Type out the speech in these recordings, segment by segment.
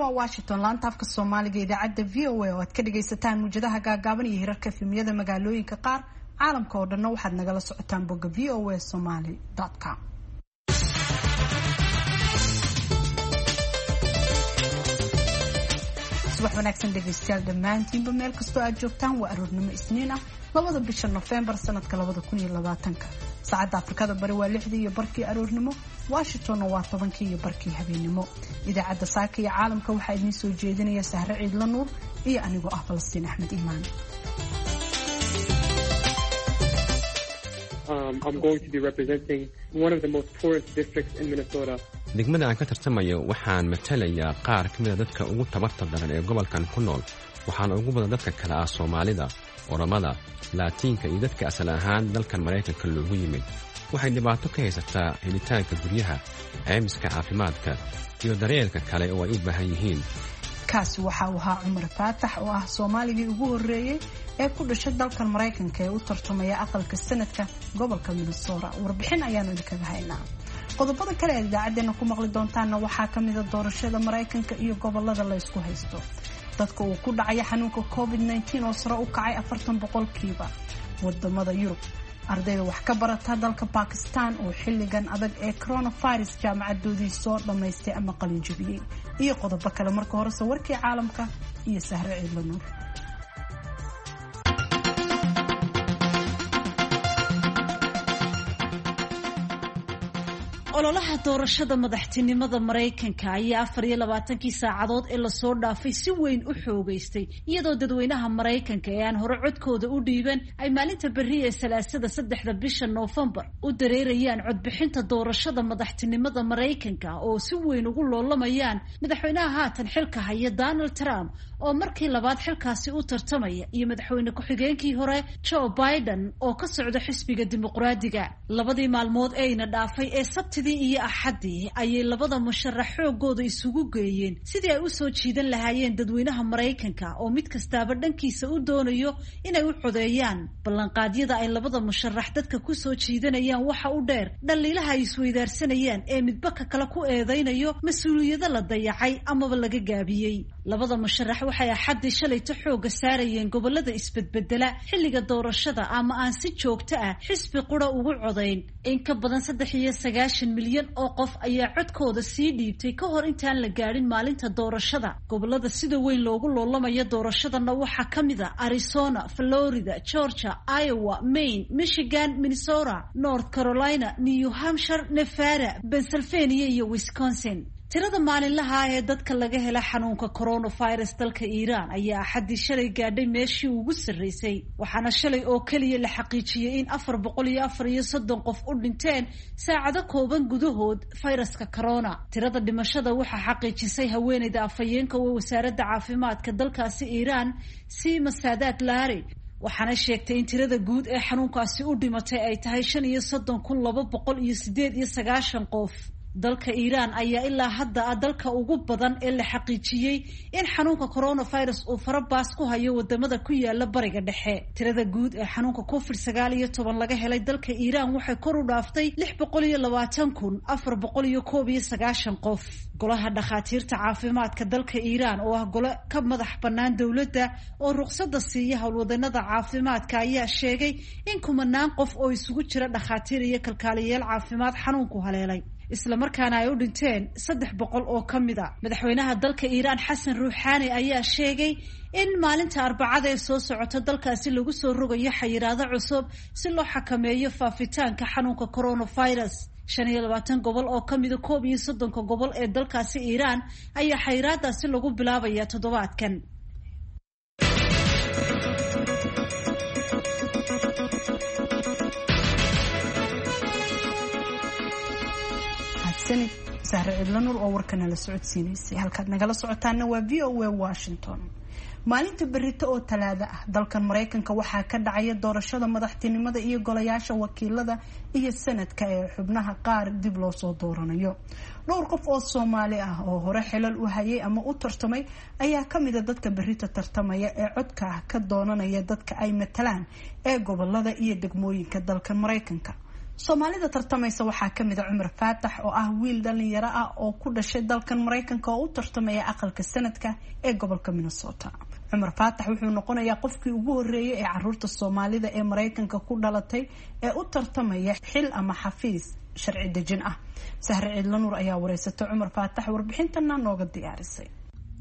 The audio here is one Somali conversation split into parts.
Waa Washington, laanta afka Soomaaliga, idaacadda VOA oo aad ka dhagaysataan muwjadaha gaagaaban iyo hirarka efemyada magaalooyinka qaar. Caalamka oo dhanna waxaad nagala socotaan bogga voasomali.com. Subax wanaagsan dhegaystayaal dhammaantiinba, meel kastoo aad joogtaan. Waa aroornimo Isniin ah, 2da bisha Nofembar sanadka 2020-ka. Saacadda Afrikada Bari waa 6:30 aroornimo, Washingtonna waa 10:30 habeennimo. Idaacadda Saaka iyo Caalamka waxaa idiin soo jeedinaya Sahre Ciidla Nuur iyo anigoo ah Falastiin Axmed Iimaan. Degmada aan ka tartamayo waxaan matalayaa qaar ka mida dadka ugu tabarta daran ee gobolkan ku nool, waxaana ugu badan dadka kale ah Soomaalida, Oromada, Laatiinka iyo dadka asal ahaan dalkan Maraykanka loogu yimid. Waxay dhibaato ka haysataa helitaanka guryaha, caymiska caafimaadka iyo daryeelka kale oo ay u baahan yihiin. Kaasi waxa uu ahaa Cumar Faatax oo ah Soomaaligii ugu horreeyey ee ku dhashay dalkan Maraykanka ee u tartamaya aqalka sanadka gobolka Minnesota. Warbixin ayaanu idinkaga haynaa. Qodobada kale aad idaacaddeenna ku maqli doontaanna waxaa ka mida doorashada Maraykanka iyo gobolada la ysku haysto, dadka uu ku dhacaya xanuunka COVID-19 oo sare u kacay 40% wadamada Yurub, ardayda wax ka barata dalka Bakistan oo xilligan adag ee coronavirus jaamacadoodii soo dhammaystay ama qalinjabiyey, iyo qodobo kale. Marka horese warkii caalamka iyo Sahre Ciidla Nuur. Ololaha doorashada madaxtinimada Maraykanka ayaa 24-kii saacadood ee lasoo dhaafay si weyn u xoogeystay, iyadoo dadweynaha Maraykanka ee aan hore codkooda u dhiiban ay maalinta berri ee Salaasada, 3da bisha Noofembar u dareerayaan codbixinta doorashada madaxtinimada Maraykanka, oo si weyn ugu loolamayaan madaxweynaha haatan xilka haya Donald Trump oo markii labaad xilkaasi u tartamaya iyo madaxweyne ku-xigeenkii hore Joe Biden oo ka socda xisbiga Dimuqraadiga. Labadii maalmood eeyna dhaafay ee Sabtidii iyo Axaddii ayay labada musharax xoogooda isugu geeyeen sidii ay u soo jiidan lahaayeen dadweynaha Maraykanka, oo mid kastaaba dhankiisa u doonayo inay u codeeyaan. Ballanqaadyada ay labada musharax dadka ku soo jiidanayaan waxa u dheer dhaliilaha ay isweydaarsanayaan ee midba ka kale ku eedaynayo mas-uuliyado la dayacay amaba laga gaabiyey. Labada musharax waxay Axaddii shalayto xooga saarayeen gobolada isbedbedela xilliga doorashada ama aan si joogto ah xisbi qura ugu codayn. In ka badan 93 milyan oo qof ayaa codkooda sii dhiibtay ka hor intaan la gaadhin maalinta doorashada. Gobolada sida weyn loogu loolamayo doorashadana waxaa ka mid a Arizona, Florida, Georgia, Iowa, Maine, Michigan, Minnesota, North Carolina, New Hampshire, Nevada, Pennsylvania iyo Wisconsin. Tirada maalinlaha ah ee dadka laga hela xanuunka coronavirus dalka Iiraan ayaa Axaddii shalay gaadhay meeshii ugu sarreysay, waxaana shalay oo keliya la xaqiijiyey in 434 qof u dhinteen saacado kooban gudahood fayraska corona. Tirada dhimashada waxaa xaqiijisay haweeneyda afhayeenka oo wasaaradda caafimaadka dalkaasi Iiraan, Sima Saadaad Laari, waxaana sheegtay in tirada guud ee xanuunkaasi u dhimatay ay tahay 35,298 qof. Dalka Iiraan ayaa ilaa hadda ah dalka ugu badan ee la xaqiijiyey in xanuunka coronavirus uu farabaas ku hayo wadamada ku yaala Bariga Dhexe. Tirada guud ee xanuunka COVID-19 laga helay dalka Iiraan waxay kor u dhaaftay 620,491 qof. Golaha dhakhaatiirta caafimaadka dalka Iiraan, oo ah gole ka madax bannaan dowladda oo ruqsadda siiya howlwadanada caafimaadka, ayaa sheegay in kumanaan qof oo isugu jira dhakhaatiir iyo kalkaaliyayaal caafimaad xanuunku haleelay, islamarkaana ay u dhinteen 300 oo ka mid a. Madaxweynaha dalka Iiraan Xasan Ruuxaani ayaa sheegay in maalinta Arbacada ee soo socota dalkaasi lagu soo rogayo xayiraado cusub si loo xakameeyo faafitaanka xanuunka coronavirus. 25 gobol oo ka mida 31-ka gobol ee dalkaasi Iiraan ayaa xayiraadaasi lagu bilaabaya toddobaadkan. Sahre Cidla Nuur oo warka nala socodsiinaysay. Halkaad nagala socotaana waa VOA Washington. Maalinta berito oo Talaada ah dalkan Maraykanka waxaa ka dhacaya doorashada madaxtinimada iyo golayaasha wakiilada iyo sanadka ee xubnaha qaar dib loo soo dooranayo. Dhowr qof oo Soomaali ah oo hore xilal u hayay ama u tartamay ayaa kamida dadka berita tartamaya ee codka ah ka doonanaya dadka ay matalaan ee gobolada iyo degmooyinka dalkan Maraykanka. Soomaalida tartamaysa waxaa kamid a Cumar Faatax oo ah wiil dhalinyaro ah oo ku dhashay dalkan Maraykanka oo u tartamaya aqalka sanadka ee gobolka Minnesota. Cumar Faatax wuxuu noqonayaa qofkii ugu horeeyay ee caruurta Soomaalida ee Maraykanka ku dhalatay ee u tartamaya xil ama xafiis sharci dejin ah. Sahre Ciidlanuur ayaa wareysatay Cumar Faatax, warbixintana nooga diyaarisay.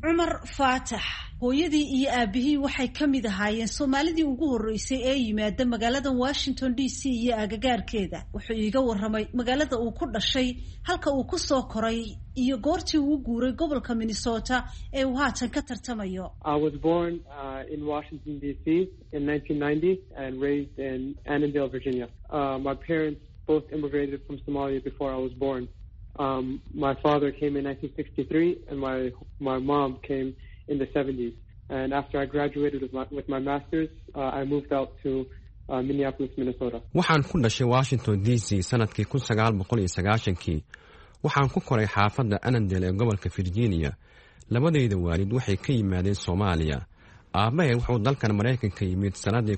Cumar Faatax hooyadii iyo aabihii waxay ka mid ahaayeen Soomaalidii ugu horreysay ee yimaada magaalada Washington D C iyo agagaarkeeda. Wuxuu iiga warramay magaalada uu ku dhashay, halka uu ku soo koray iyo goortii uu guuray gobolka Minnesota ee uu haatan ka tartamayo. I was born in Washington D.C. in 1990 and raised in Annandale, Virginia. My parents both immigrated from Somalia before I was born. My father came in 1963 and my mom came in the 70s. And after I graduated with my master's, I moved out to Minneapolis, Minnesota. Waxaan ku dhashay Washington D C sanadkii 1990-kii. Waxaan ku koray xaafadda Annandale ee gobolka Virginia. Labadayda waalid waxay ka yimaadeen Soomaaliya. Aabbahay wuxuu dalkan Maraykanka yimid sannadii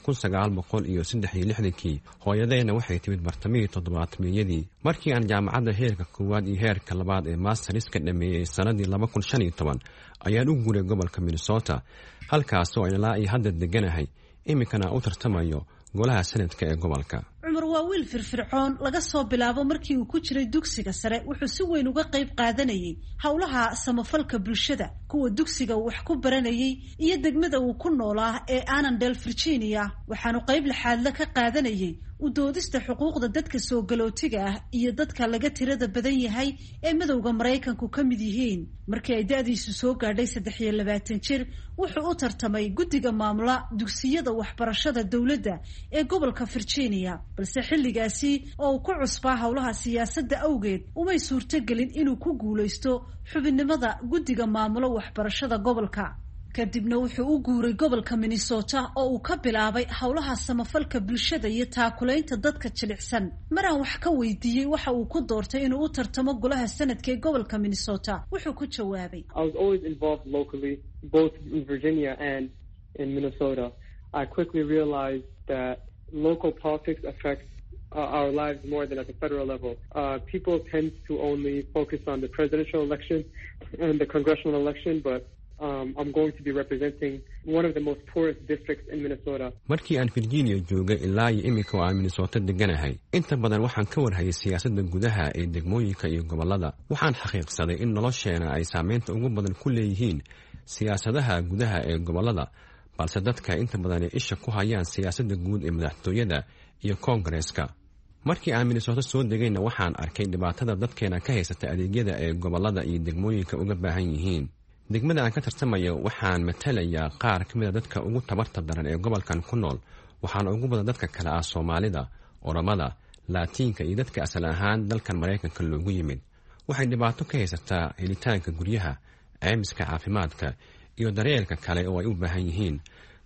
1963-kii, hooyadayna waxay timid bartamihii toddobaatamiyadii. Markii aan jaamacadda heerka koowaad iyo heerka labaad ee masterska dhameeyey sannadii 2015 ayaan u guuray gobolka Minnesota, halkaasoo aan ilaa iyo hadda deganahay, iminkana u tartamayo golaha sanadka ee gobolka. Cumar waa wiil firfircoon. Laga soo bilaabo markii uu ku jiray dugsiga sare wuxuu si weyn uga qayb qaadanayay howlaha samafalka bulshada, kuwa dugsiga uu wax ku baranayay iyo degmada uu ku noolaa ee Annandale, Virginia. Waxaanu qayb laxaadle ka qaadanayay u doodista xuquuqda dadka soo galootiga ah iyo dadka laga tirada badan yahay ee madowga Maraykanku ka mid yihiin. Markii ay da-diisu soo gaadhay 23 jir, wuxuu u tartamay guddiga maamula dugsiyada waxbarashada dowladda ee gobolka Virginia, balse xilligaasi oo uu ku cusbaa howlaha siyaasadda awgeed umay suurtogelin inuu ku guulaysto xubinnimada guddiga maamulo waxbarashada gobolka. Kadibna wuxuu u guuray gobolka Minnesota oo uu ka bilaabay howlaha samafalka bulshada iyo taakulaynta dadka jilicsan. Maraan wax ka weydiiyey waxa uu ku doortay inuu u tartamo golaha sanadka ee gobolka Minnesota, wuxuu ku jawaabay: I was always involved locally, both in Virginia and in Minnesota. I quickly realized that local politics affects our lives more than at the federal level. People tend to only focus on the presidential election and the congressional election, but I'm going to be representing one of the most poorest districts in Minnesota. Markii aan Virginia joogay ilaa iyo iminka oo aan Minnesota deganahay, inta badan waxaan ka warhayay siyaasadda gudaha ee degmooyinka iyo gobollada. Waxaan xaqiiqsaday in nolosheena ay saameynta ugu badan ku leeyihiin siyaasadaha gudaha ee gobollada, balse dadka inta badan ay isha ku hayaan siyaasadda guud ee madaxtooyada iyo koongareeska. Markii aan Minnesota soo degayna, waxaan arkay dhibaatada dadkeena ka haysata adeegyada ee gobollada iyo degmooyinka uga baahan yihiin. Degmada aan ka tartamayo waxaan matalayaa qaar ka mid a dadka ugu tabarta daran ee gobolkan ku nool, waxaana ugu badan dadka kale ah Soomaalida, Oromada, Laatiinka iyo dadka asal ahaan dalkan Maraykanka loogu yimid. Waxay dhibaato ka haysataa helitaanka guryaha, ceymiska caafimaadka iyo daryeelka kale oo ay u baahan yihiin.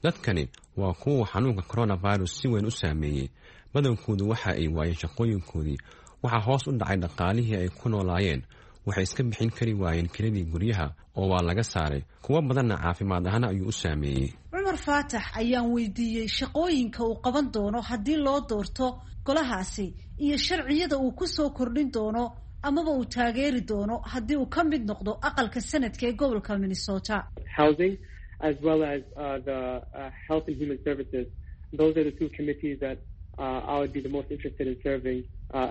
Dadkani waa kuwa xanuunka coronavirus si weyn u saameeyey. Badankoodu waxa ay waayeen shaqooyinkoodii, waxaa hoos u dhacay dhaqaalihii ay ku noolaayeen, waxay iska bixin kari waayeen kiradii guryaha oo waa laga saaray. Kuwo badanna caafimaad ahaan ayuu u saameeyey. Cumar Faatax ayaan weydiiyey shaqooyinka uu qaban doono haddii loo doorto golahaasi iyo sharciyada uu ku soo kordhin doono amaba uu taageeri doono haddii uu ka mid noqdo aqalka sanadka ee gobolka Minnesota. Housing as well as the Health and Human Services. Those are the two committees that I would be the most interested in serving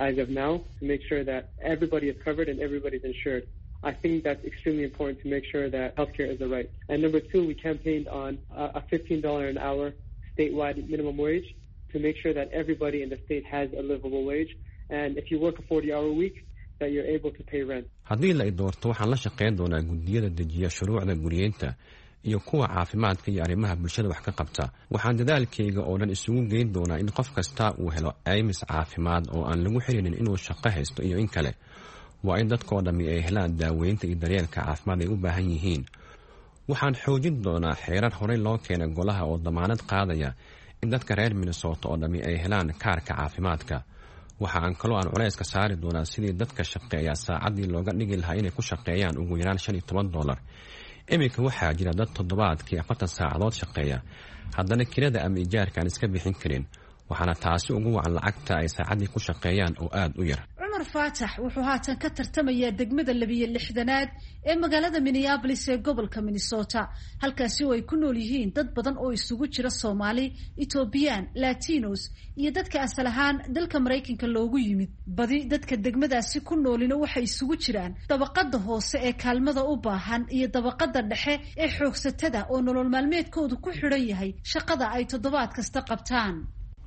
as of now, to make sure that everybody is covered and everybody's insured. I think that's extremely important to make sure that healthcare is a right. And number two, we campaigned on a $15 an hour statewide minimum wage to make sure that everybody in the state has a livable wage. And if you work a 40-hour week, that you're able to pay rent. Haddii la i doorto, waxaan la shaqayn doonaa guddiyada dejiya shuruucda guriyeynta iyo kuwa caafimaadka iyo arrimaha bulshada wax ka qabta. Waxaan dadaalkayga oo dhan isugu geyn doonaa in qof kasta uu helo caymis caafimaad oo aan lagu xirinin inuu shaqo haysto iyo in kale. Waa in dadkoo dhammi ay helaan daaweynta iyo daryeelka caafimaad ay u baahan yihiin. Waxaan xoojin doonaa xeerar horey loo keenay golaha oo damaanad qaadaya in dadka reer Minnesota oo dhammi ay helaan kaarka caafimaadka. Waxa aan kaloo aan culayska saari doonaa sidii dadka shaqeeya saacaddii looga dhigi lahaa inay ku shaqeeyaan ugu yaraan $15. Iminka waxaa jira dad toddobaadkii 40 saacadood shaqeeya, haddana kirada ama ijaarka aan iska bixin karin. Waxaana taasi ugu wacan lacagta ay saacaddii ku shaqeeyaan oo aada u yar. Cumar Faatax wuxuu haatan ka tartamayaa degmada 62aad ee magaalada Minneapolis ee gobolka Minnesota, halkaasi oo ay ku nool yihiin dad badan oo isugu jira Soomaali, Etoobiyaan, Latinos iyo dadka asal ahaan dalka Maraykanka loogu yimid. Badi dadka degmadaasi ku noolina waxay isugu jiraan dabaqada hoose ee kaalmada u baahan iyo dabaqada dhexe ee xoogsatada oo nolol maalmeedkoodu ku xidhan yahay shaqada ay toddobaad kasta qabtaan.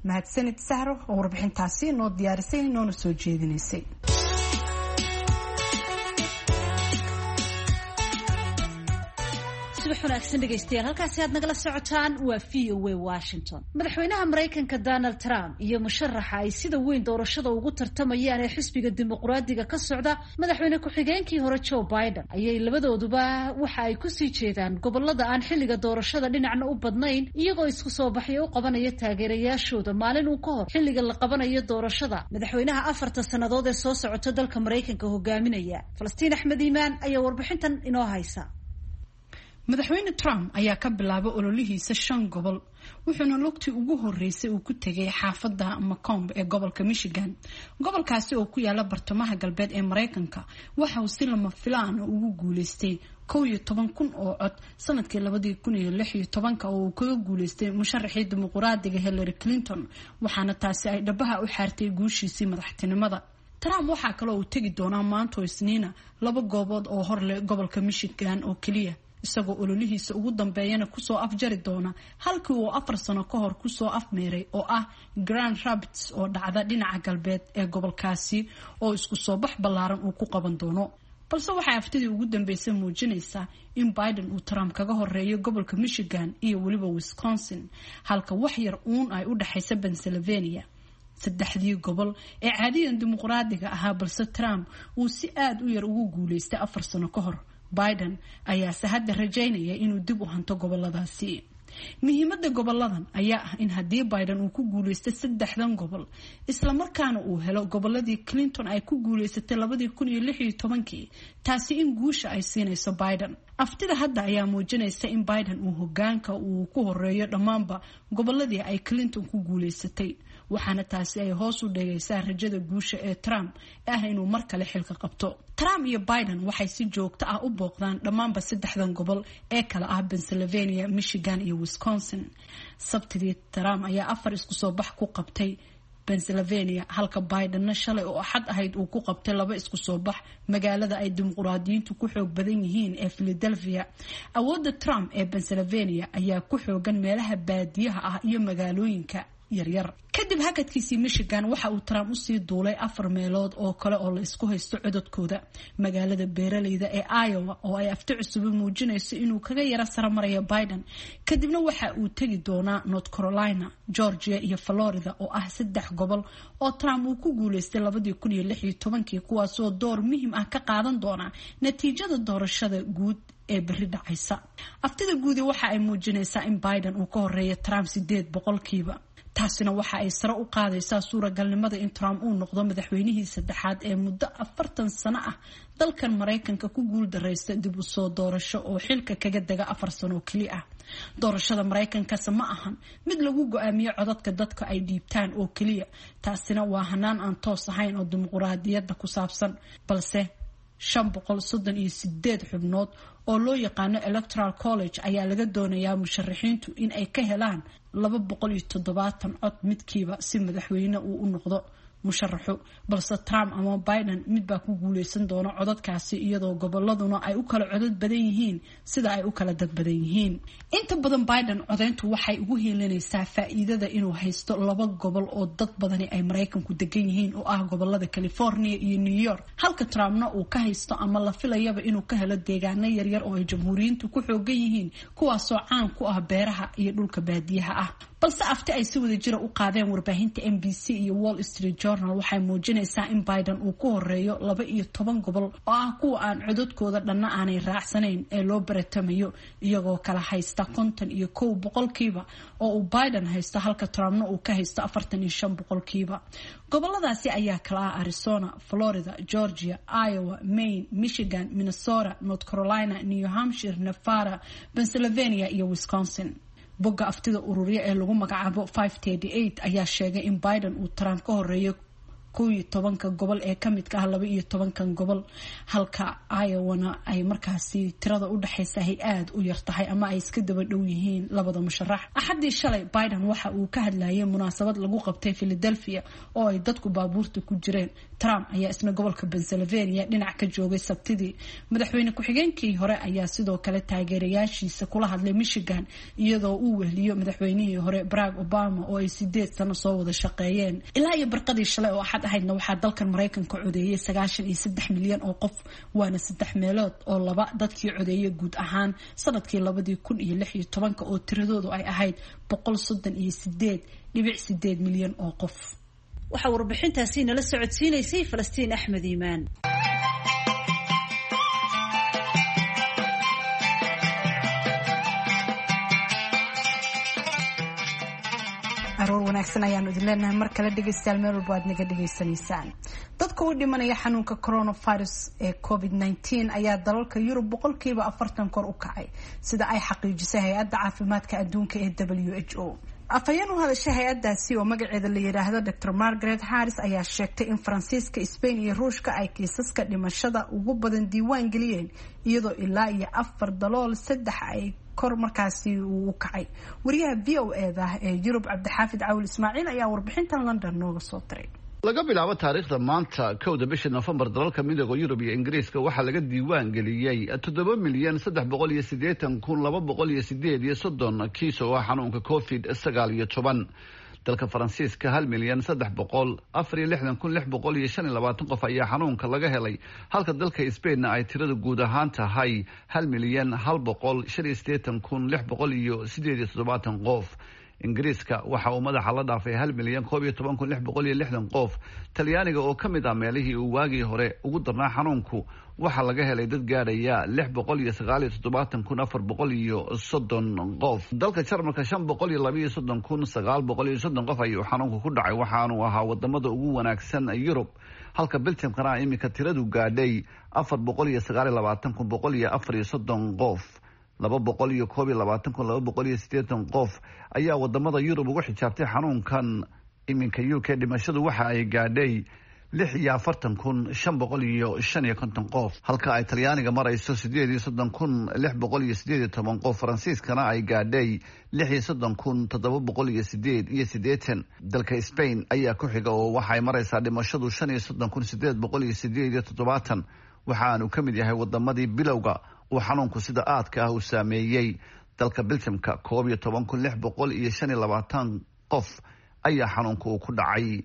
Mahadsanid Sahro oo warbixintaasi noo diyaarisay noona soo jeedinaysay. Subax wanaagsan dhegaystayaal, halkaasi aad nagala socotaan waa VOA Washington. Madaxweynaha Maraykanka Donald Trump iyo musharaxa ay sida weyn doorashada ugu tartamayaan ee xisbiga Dimuqraadiga ka socda, madaxweyne ku-xigeenkii hore Joe Biden, ayay labadooduba waxa ay kusii jeedaan gobolada aan xilliga doorashada dhinacna u badnayn, iyagoo isku soo baxyo u qabanaya taageerayaashooda maalin uu ka hor xilliga la qabanayo doorashada madaxweynaha 4ta sannadood ee soo socota dalka Maraykanka hogaaminaya. Falastiin Axmed Iimaan ayaa warbixintan inoo haysa. Madaxweyne Trump ayaa ka bilaabay ololihiisa 5 gobol, wuxuuna lugtii ugu horeysay uu ku tegay xaafadda Macomb ee gobolka Michigan. Gobolkaasi oo ku yaala bartamaha galbeed ee Maraykanka waxa uu si lama filaan ugu guuleystay 11,000 oo cod sanadkii 2016 oo uu kaga guuleystay musharaxii dimuqraadiga Hillary Clinton, waxaana taasi ay dhabaha u xaartay guushiisii madaxtinimada. Trump waxaa kaloo uu tegi doonaa maanto Isniina 2 goobood oo hor leh gobolka Michigan oo keliya, isagoo ololihiisa ugu dambeeyana kusoo afjari doona halkii uu 4 sano ka hor kusoo afmeeray oo ah Grand Rapids oo dhacda dhinaca galbeed ee gobolkaasi oo isku soo bax ballaaran uu ku qaban doono. Balse waxay haftidii ugu dambeysay muujinaysaa in Biden uu Trump kaga horeeyo gobolka Michigan iyo weliba Wisconsin, halka wax yar uun ay u dhexaysa Pennsylvania. 3dii gobol ee caadiyan dimuqraadiga ahaa, balse Trump uu si aada u yar ugu guuleystay 4 sano ka hor. Biden ayaase hadda rajaynaya inuu dib u hanto goboladaasi. Muhiimadda goboladan ayaa ah in haddii Biden uu ku guuleysto 3dan gobol, islamarkaana uu helo goboladii Clinton ay ku guuleysatay 2016, taasi in guusha ay siinayso Biden. Aftida hadda ayaa muujinaysa in Biden uu hogaanka uu ku horeeyo dhammaanba goboladii ay Clinton ku guuleysatay, waxaana taasi ay hoos u dhigaysaa rajada guusha ee Trump ah inuu mar kale xilka qabto. Trump iyo Biden waxay si joogto ah u booqdaan dhammaanba 3dan gobol ee kala ah Pennsylvania, Michigan iyo Wisconsin. Sabtidii Trump ayaa 4 isku soo bax ku qabtay Pennsylvania, halka Bidenna shalay oo Axad ahayd uu ku qabtay 2 isku soo bax magaalada ay dimuqraadiyiintu ku xoog badan yihiin ee Philadelphia. Awoodda Trump ee Pennsylvania ayaa ku xoogan meelaha baadiyaha ah iyo magaalooyinka yaryar. Kadib hakadkiisii Michigan, waxa uu Trump usii duulay 4 meelood oo kale oo la isku haysto codadkooda. Magaalada beeraleyda ee Iowa oo ay afti cusubi muujinayso inuu kaga yara saramaraya Biden. Kadibna waxa uu tegi doonaa North Carolina, Georgia iyo Florida oo ah 3 gobol oo Trump uu ku guuleystay 2016, kuwaasoo door muhiim ah ka qaadan doona natiijada doorashada guud ee berri dhacaysa. Aftida guudi waxa ay muujinaysaa in Biden uu ka horeeyo Trump 8%. Taasina waxa ay sare u qaadaysaa suuragalnimada in Trump uu noqdo madaxweynihii 3aad ee muddo 40 sano ah dalkan Maraykanka ku guuldareysta dib u soo doorasho oo xilka kaga dega 4 sano keli ah. Doorashada Maraykankase ma ahan mid lagu go-aamiyo codadka dadka ay dhiibtaan oo keliya, taasina waa hanaan aan toos ahayn oo dimuqraadiyadda ku saabsan, balse 538 xubnood oo loo yaqaano Electoral College ayaa laga doonayaa musharaxiintu in ay ka helaan 270 cod midkiiba si madaxweyne uu u noqdo musharaxu. Balse Trump ama Biden mid baa ku guuleysan doona codadkaasi, iyadoo goboladuna ay u kala codad badan yihiin sida ay u kala dad badan yihiin. Inta badan Biden codeyntu waxay ugu heelanaysaa faa'iidada inuu haysto 2 gobol oo dad badani ay Maraykanku degan yihiin oo ah gobolada California iyo New York, halka Trumpna uu ka haysto ama la filayaba inuu ka helo deegaano yaryar oo ay jamhuuriyiintu ku xoogan yihiin, kuwaasoo caan ku ah beeraha iyo dhulka baadiyaha ah. Balse afti ay si wada jira u qaadeen warbaahinta NBC iyo Wall Street Journal waxay muujinaysaa in Biden uu ku horeeyo 12 gobol oo ah kuwa aan codadkooda dhanna aanay raacsanayn ee loo baratamayo, iyagoo kala haysta 51% oo uu Biden haysto, halka Trumpna uu ka haysto 45%. Goboladaasi ayaa kala ah Arizona, Florida, Georgia, Iowa, Maine, Michigan, Minnesota, North Carolina, New Hampshire, Nevada, Pennsylvania iyo Wisconsin. Bogga aftida ururya ee lagu magacaabo 538 ayaa sheegay in Biden uu Trump ka horeeyo 11-ka gobol ee kamidka ah 12-kan gobol, halka Iowana ay markaasi tirada u dhexaysa ay aada u yar tahay ama ay iska daba dhow yihiin labada musharax. Axaddii shalay, Biden waxa uu ka hadlayay munaasabad lagu qabtay Philadelphia oo ay dadku baabuurta ku jireen. Trump ayaa isna gobolka Pennsylvania dhinac ka joogay Sabtidii. Madaxweyne ku-xigeenkii hore ayaa sidoo kale taageerayaashiisa kula hadlay Michigan, iyadoo uu wehliyo madaxweynihii hore Barack Obama oo ay 8 sano soo wada shaqeeyeen. Ilaa iyo barqadii shalay oo Axad ahaydna, waxaa dalkan Maraykanka codeeyay 93 milyan oo qof, waana saddex meelood oo laba dadkii codeeyay guud ahaan sanadkii 2016-ka oo tiradoodu ay ahayd 138.8 milyan oo qof. Waxaa warbixintaasi nala socodsiinaysay Falastiin Axmed Iimaan. Aroor wanaagsan ayaanu idin leenahay mar kale, dhegeystayaal, meel walba aad naga dhegeysanaysaan. Dadka u dhimanaya xanuunka coronavirus ee COVID-19 ayaa dalalka Yurub 40% kor u kacay, sida ay xaqiijisay hay-adda caafimaadka adduunka ee WHO. Afhayeen u hadashay hay-addaasi oo magaceeda la yidhaahdo Dr Margaret Harris ayaa sheegtay in Faransiiska, Spain iyo Ruushka ay kiisaska dhimashada ugu badan diiwaan geliyeen, iyadoo ilaa iyo afar dalool saddex ay kor markaasi uu u kacay. Wariyaha VOA-da ee Yurub, Cabdixaafid Cawil Ismaaciil, ayaa warbixintan London nooga soo diray. Laga bilaabo taariikhda maanta, 1-da bisha Nofembar, dalalka Midooda Yurub iyo Ingiriiska waxaa laga diiwaan geliyey 7,380,238 kiis oo ah xanuunka COVID-19. Dalka Faransiiska, 1,364,625 qof ayaa xanuunka laga helay, halka dalka Spainna ay tirada guud ahaan tahay 1,185,678 qof. Ingiriiska waxa uu madaxa la dhaafay 1,011,660 qof. Talyaaniga oo ka mid ah meelihii uu waagii hore ugu darnaa xanuunku, waxaa laga helay dad gaadhaya 679,430 qof. Dalka Jarmalka, 532,930 qof ayuu xanuunku ku dhacay, waxaanu ahaa wadamada ugu wanaagsan Yurub, halka Biljamkana iminka tiradu gaadhay 429,134 qof. 221,280 qof ayaa wadamada Yurub ugu xijaabtay xanuunkan. Iminka UK dhimashadu waxa ay gaadhay 46,555 qof, halka ay Talyaaniga marayso 38,618 qof, Faransiiskana ay gaadhay 36,788. Dalka Spain ayaa ku xiga oo waxay maraysaa dhimashadu 35,878, waxaanu ka mid yahay wadamadii bilowga uu xanuunku sida aadka ah u saameeyey. Dalka Biljamka, 11,625 qof ayaa xanuunka uu ku dhacay.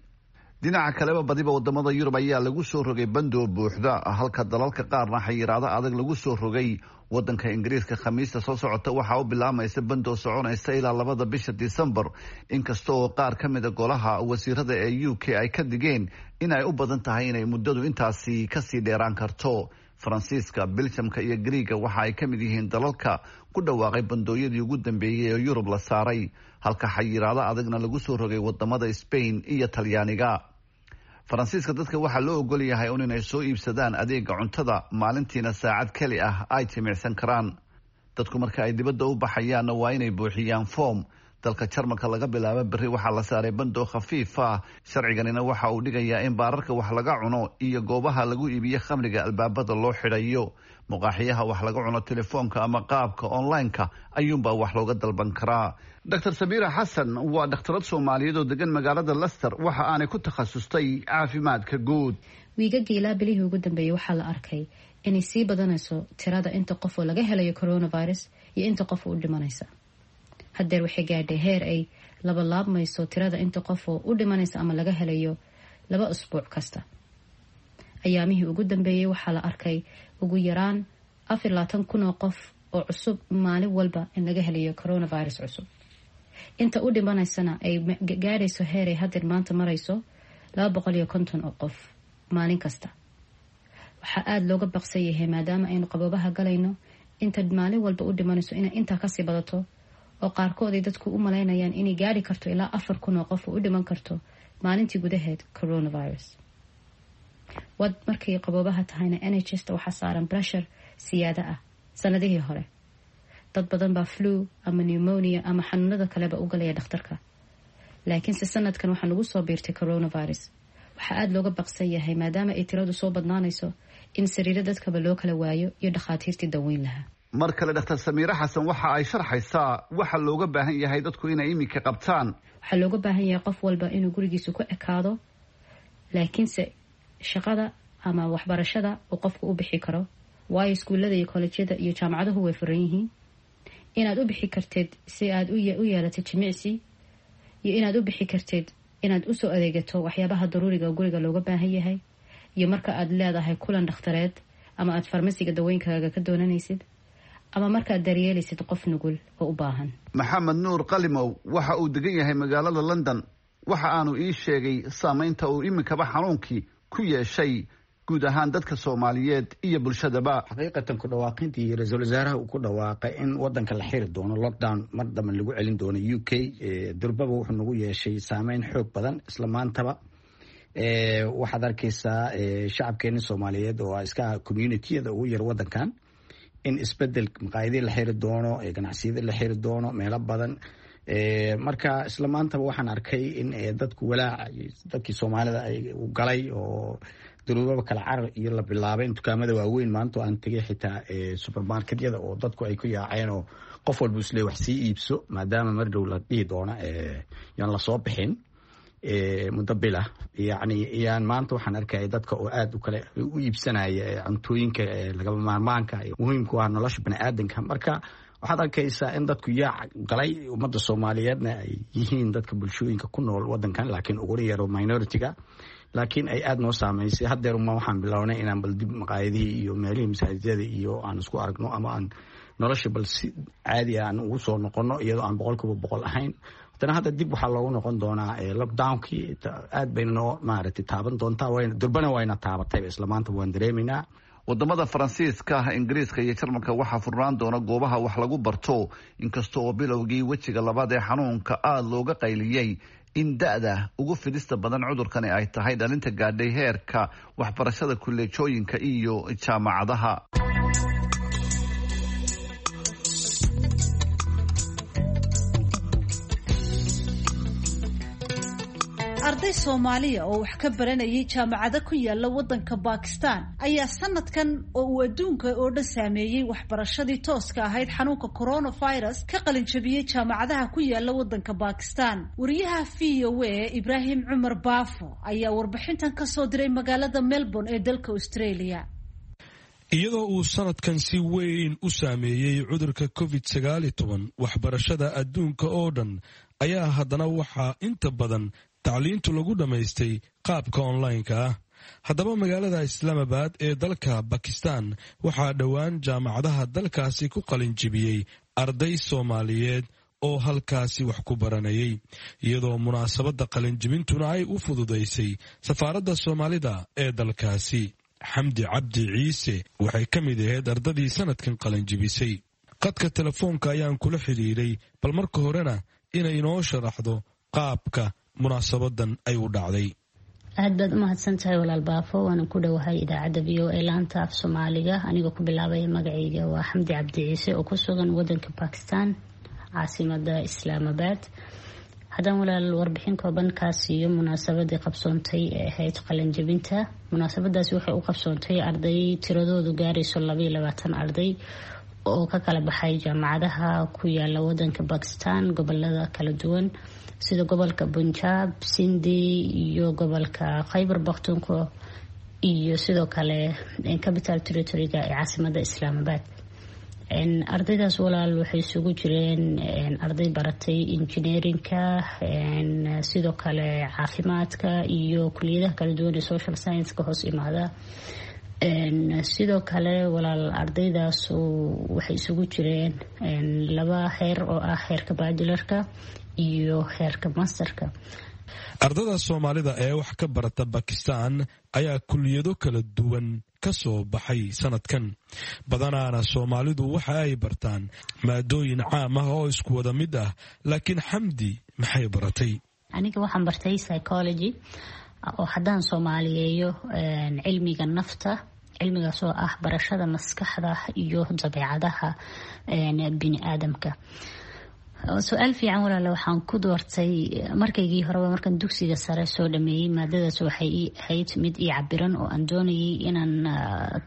Dhinaca kaleba, badiba wadamada Yurub ayaa lagu soo rogay bandoo buuxda, halka dalalka qaarna xayiraado adag lagu soo rogay. Wadanka Ingiriiska, Khamiista soo socota waxaa u bilaamaysa bandoo soconaysa ilaa 2-da bisha Disembar, inkasta oo qaar ka mida golaha wasiirada ee UK ay ka digeen in ay u badan tahay inay muddadu intaasi kasii dheeraan karto. Faransiiska, Biljamka iyo Griiga waxa ay ka mid yihiin dalalka ku dhawaaqay bandooyadii ugu dambeeyey ee Yurub la saaray, halka xayiraado adagna lagu soo rogay wadamada Spain iyo Talyaaniga. Faransiiska dadka waxaa loo ogol yahay un inay soo iibsadaan adeega cuntada, maalintiina saacad keli ah ay jimicsan karaan. Dadku marka ay dibadda u baxayaanna waa inay buuxiyaan foom. Dalka Jarmalka, laga bilaabo berri waxaa la saaray bandoo khafiif ah. Sharciganina waxa uu dhigayaa in baararka wax laga cuno iyo goobaha lagu iibiyo khamriga albaabada loo xidhayo. Muqaaxiyaha wax laga cuno, telefoonka ama qaabka online-ka ayuunbaa wax looga dalban karaa. Dr Samiira Xasan waa dhakhtarad Soomaaliyeed oo degan magaalada Leicester, waxa aanay ku takhasustay caafimaadka guud. Wiigagii ilaa bilihii ugu dambeeyey waxaa la arkay inay sii badanayso tirada inta qof oo laga helayo coronavirus iyo inta qof oo u dhimanaysa. Haddeer waxay gaadhay heer ay labalaabmayso tirada inta qof oo u dhimanaysa ama laga helayo 2 usbuuc kasta. Ayaamihii ugu dambeeyey waxaa la arkay ugu yaraan 24,000 oo qof oo cusub maalin walba in laga helayo coronavirus cusub, inta u dhimanaysana ay gaadhayso heer ay haddeer maanta marayso 250 oo qof maalin kasta. Waxaa aada looga baqsan yahay, maadaama aynu qaboobaha galayno, inta maalin walba u dhimanayso inay intaa kasii badato, oo qaarkood ay dadku u malaynayaan inay gaari karto ilaa 4,000 oo qof oo u dhiman karto maalintii gudaheed coronavirus. Wad markay qaboobaha tahayna, NHS-ta waxaa saaran pressure siyaada ah sanadihii hore. Dad badan baa flu ama pneumonia ama xanuunada kaleba u galaya dhakhtarka, laakiinse sanadkan waxaa nagu soo biirtay coronavirus. Waxaa aada looga baqsan yahay, maadaama ay tiradu soo badnaanayso, in sariiro dadkaba loo kala waayo iyo dhakhaatiirtii daweyn lahaa. Mar kale Dhakhtar Samiire Xasan waxa ay sharxaysaa waxa looga baahan yahay dadku inay iminka qabtaan. Waxaa looga baahan yahay qof walba inuu gurigiisa ku ekaado, laakiinse shaqada ama waxbarashada uu qofku u bixi karo, waayo iskuullada iyo kolejyada iyo jaamacaduhu way furan yihiin. Inaad u bixi karteed si aad u yeelatid jimicsi, iyo inaad u bixi karteed inaad usoo adeegato waxyaabaha daruuriga guriga looga baahan yahay, iyo marka aad leedahay kulan dhakhtareed ama aad farmasiga dawooyinkaaga ka doonanaysid, ama markaad daryeelaysid qof nugul oo u baahan. Maxamed Nuur Qalimow waxa uu degan yahay magaalada London. Waxa aanu ii sheegay saameynta uu iminkaba xanuunkii ku yeeshay guud ahaan dadka Soomaaliyeed iyo bulshadaba. Xaqiiqatan, ku dhawaaqintii ra-iisul wasaaraha uu ku dhawaaqay in wadanka la xiri doono, lockdown mar dambe lagu celin doono UK, durbaba wuxuu nagu yeeshay saameyn xoog badan. Isla maantaba waxaad arkaysaa shacabkeeni Soomaaliyeed oo iska communityyada ugu yar wadankan in isbedel, maqaayadii la xiri doono, ganacsiyadii la xiri doono, meelo badan. Marka isla maantaba waxaan arkay in dadku walaac dadkii Soomaalida ay galay oo duruubaba kala carar iyo la bilaabay in dukaamada waaweyn, maanta aan tegay xitaa supermarketyada, oo dadku ay ku yaaceen oo qof walba isle wax sii iibso, maadaama mar dhow la dhihi doono yaan lasoo bixin muddo bila. Yacni yaan maanta waxaan arkaya dadka oo aada u kale u iibsanaya cuntooyinka lagama maarmaanka muhiimku ah nolosha bani aadanka. Marka waxaad arkaysaa in dadku yaac galay, ummadda Soomaaliyeedna ay yihiin dadka bulshooyinka ku nool wadankan, laakiin uguna yaro minority-ga, laakiin ay aada noo saameysay. Haddeer uma waxaan bilownay inaan bal dib maqaayadihii iyo meelihii masaajidada iyo aan isku aragno, ama aan nolosha bal si caadi ah aan ugu soo noqono, iyadoo aan 100% ahayn. Haddana hadda dib waxaa loogu noqon doonaa lockdownkii. Aad bayna noo maaragtay taaban doontaa, durbana wayna taabatayba, isla maanta waan dareemaynaa. Wadamada Faransiiska, Ingiriiska iyo Jarmalka waxaa furnaan doona goobaha wax lagu barto, inkasta oo bilowgii wejiga labaad ee xanuunka aada looga qayliyey in da-da ugu fidista badan cudurkani ay tahay dhalinta gaadhay heerka waxbarashada kulleejooyinka iyo jaamacadaha. Arday Soomaaliya oo wax ka baranayay jaamacado ku yaala wadanka Bakistan ayaa sanadkan oo uu adduunka oo dhan saameeyey waxbarashadii tooska ahayd xanuunka coronavirus ka qalinjabiyey jaamacadaha ku yaala wadanka Bakistan. Wariyaha VOA Ibraahim Cumar Baafo ayaa warbixintan kasoo diray magaalada Melbourne ee dalka Australia. Iyadoo uu sanadkan si weyn u saameeyey cudurka COVID-19 waxbarashada adduunka oo dhan, ayaa haddana waxaa inta badan tacliintu lagu dhammaystay qaabka onlineka ah. Haddaba magaalada Islaamabad ee dalka Bakistan waxaa dhowaan jaamacadaha dalkaasi ku qalinjibiyey arday Soomaaliyeed oo halkaasi wax ku baranayay, iyadoo munaasabadda qalinjibintuna ay u fududaysay safaaradda Soomaalida ee dalkaasi. Xamdi Cabdi Ciise waxay ka mid ahayd ardadii sanadkan qalinjibisay. Qadka telefoonka ayaan kula xidhiiray, bal marka horena inay inoo sharaxdo qaabka munaasabadan ay u dhacday. Aad baad u mahadsan tahay, walaal Baafo, waana ku dhowahay idaacadda VOA laanta af Soomaaliga. Anigoo ku bilaabaya magacayga, waa Xamdi Cabdi Ciise oo ku sugan wadanka Bakistan, caasimada Islaamabad. Haddaan walaal warbixin kooban kaa siiyo munaasabadii qabsoontay ee ahayd qalinjabinta, munaasabadaasi waxay u qabsoontay arday tiradoodu gaarayso 22 arday oo ka kala baxay jaamacadaha ku yaala wadanka Bakistan, gobolada kala duwan sida gobolka Punjab, Sindi iyo gobolka Khaybar Bakhtunko, iyo sidoo kale Capital Territoryga ee caasimada Islaamabad. Ardaydaas, walaal, waxay isugu jireen arday baratay engineeringka, sidoo kale caafimaadka iyo kuliyadaha kala duwan ee social science-ka hoos imaada. Sidoo kale, walaal, ardaydaas waxay isugu jireen laba heer oo ah heerka bachelorka iyo heerka masterka. Ardada Soomaalida ee wax ka barata Bakistan ayaa kuliyado kala duwan ka soo baxay sanadkan. Badanaana Soomaalidu waxa ay bartaan maadooyin caam ah oo isku wada mid ah, laakiin Xamdi maxay baratay? Aniga waxaan bartay psychology, oo haddaan soomaaliyeeyo cilmiga nafta. Cilmigaas oo ah barashada maskaxda iyo dabeecadaha bini aadamka. Su-aal fiican, walaale. Waxaan ku doortay markaygii horeba, markaan dugsiga sare soo dhameeyey, maadadaas waxay ii ahayd mid ii cabiran oo aan doonayay inaan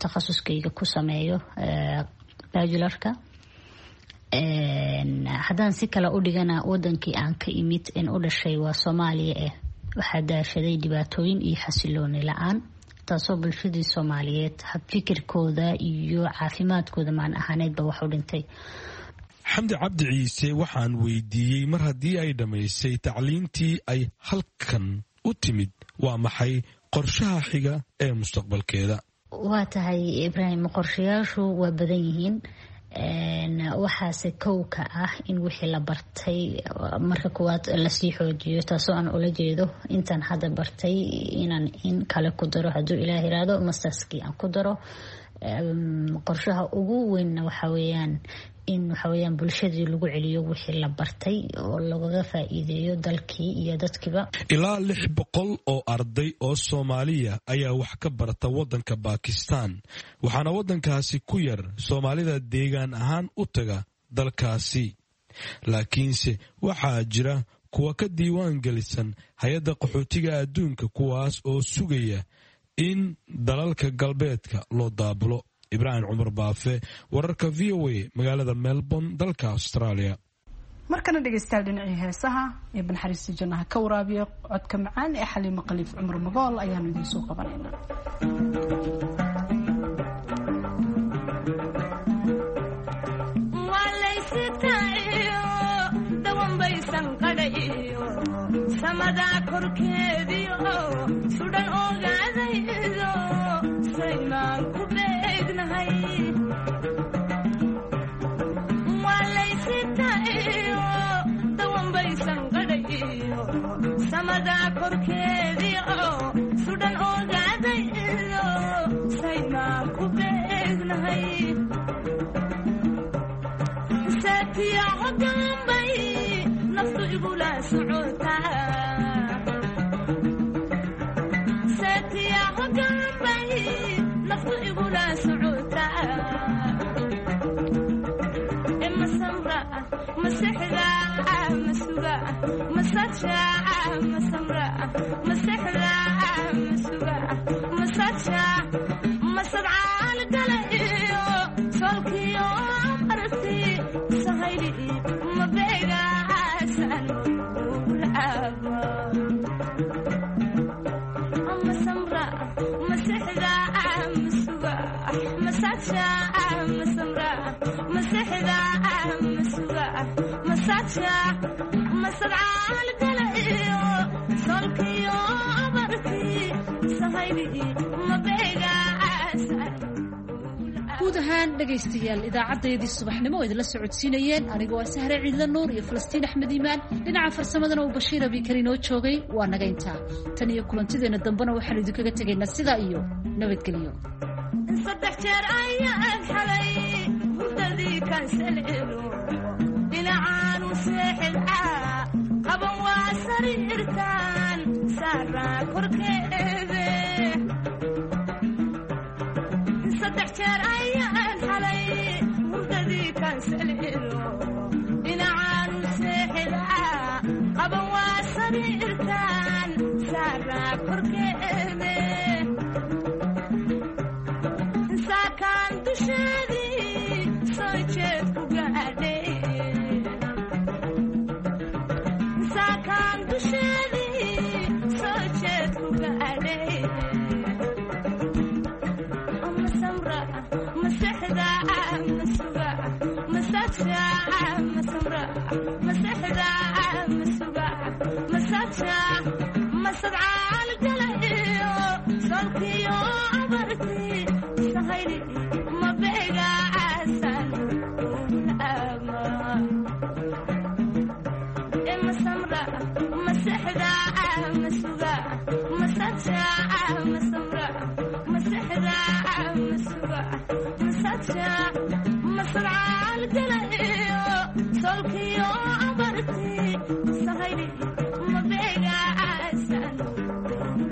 takhasuskayga ku sameeyo bachelorka. Haddaan si kale u dhigana, wadankii aan ka imid in u dhashay waa Soomaaliya waxaa daashaday dhibaatooyin iyo xasilooni la-aan, taasoo bulshadii Soomaaliyeed habfikirkooda iyo caafimaadkooda maan ahaaneedba wax u dhintay. Xamdi Cabdi Ciise waxaan weydiiyey, mar haddii ay dhammaysay tacliintii ay halkan u timid, waa maxay qorshaha xiga ee mustaqbalkeeda? Waa tahay, Ibraahim, qorshayaashu waa badan yihiin. Waxaase kowka ah in wixii la bartay marka koowaad lasii xoojiyo, taasoo aan ula jeedo intaan hadda bartay inaan in kale ku daro, hadduu Ilaah iraado, masterskii aan ku daro. Qorshaha ugu weynna waxa weeyaan in waxaweyaan bulshadii lagu celiyo wixii la bartay oo lagaga faa-iideeyo dalkii iyo dadkiiba. Ilaa 600 oo arday oo Soomaaliya ayaa wax ka barta waddanka Bakistan, waxaana waddankaasi ku yar Soomaalida deegaan ahaan u taga dalkaasi, laakiinse waxaa jira kuwa ka diiwaan gelisan hay-adda qaxootiga adduunka, kuwaas oo sugaya in dalalka galbeedka loo daabulo. Ibraahim Cumar Baafe, wararka VOA, magaalada Melbourne, dalka Australia. Markana dhegaystayaal, dhinacii heesaha ee banxariista jannaha ka waraabiya, codka macaan ee Xaliimo Khaliif Cumar Magool ayaanu idiin soo qabanaynaa. Guud ahaan dhegaystayaal, idaacaddayadii subaxnimo oo idinla socodsiinayeen anigoo ah Sahre Ciidla Nuur iyo Falastiin Axmed Iimaan, dhinaca farsamadana uu Bashiir Abikar inoo joogay, waa naga intaa. Tan iyo kulantideenna dambena waxaanu idinkaga tegaynaa sidaa iyo nabadgelyo. Saddex jeer ayaan xalay hurdadii kaansalcelo, dhinacaanu seexilcaa qaban waa sariirtaan saaraa korkeede. Saddex jeer ayaan xalay hurdadii kaansalcelo, dhinacaanu seexilcaa qaban waa sariirtaan saaraa korkeede. Saakaan dusheedii soo jeed ku gaadhay, saakaan dusheedii soo jeed ku gaadhay. Masamra masexda masuga masaja, masamra masexda masuga masaja, masadcaal gala iyo solkiyo abartii sahayli mabeegaasan ama masamra masexda masuga masaja, masamra masexda masuga masaja, masadcaal gala iyo solkiyo abartii sahayli.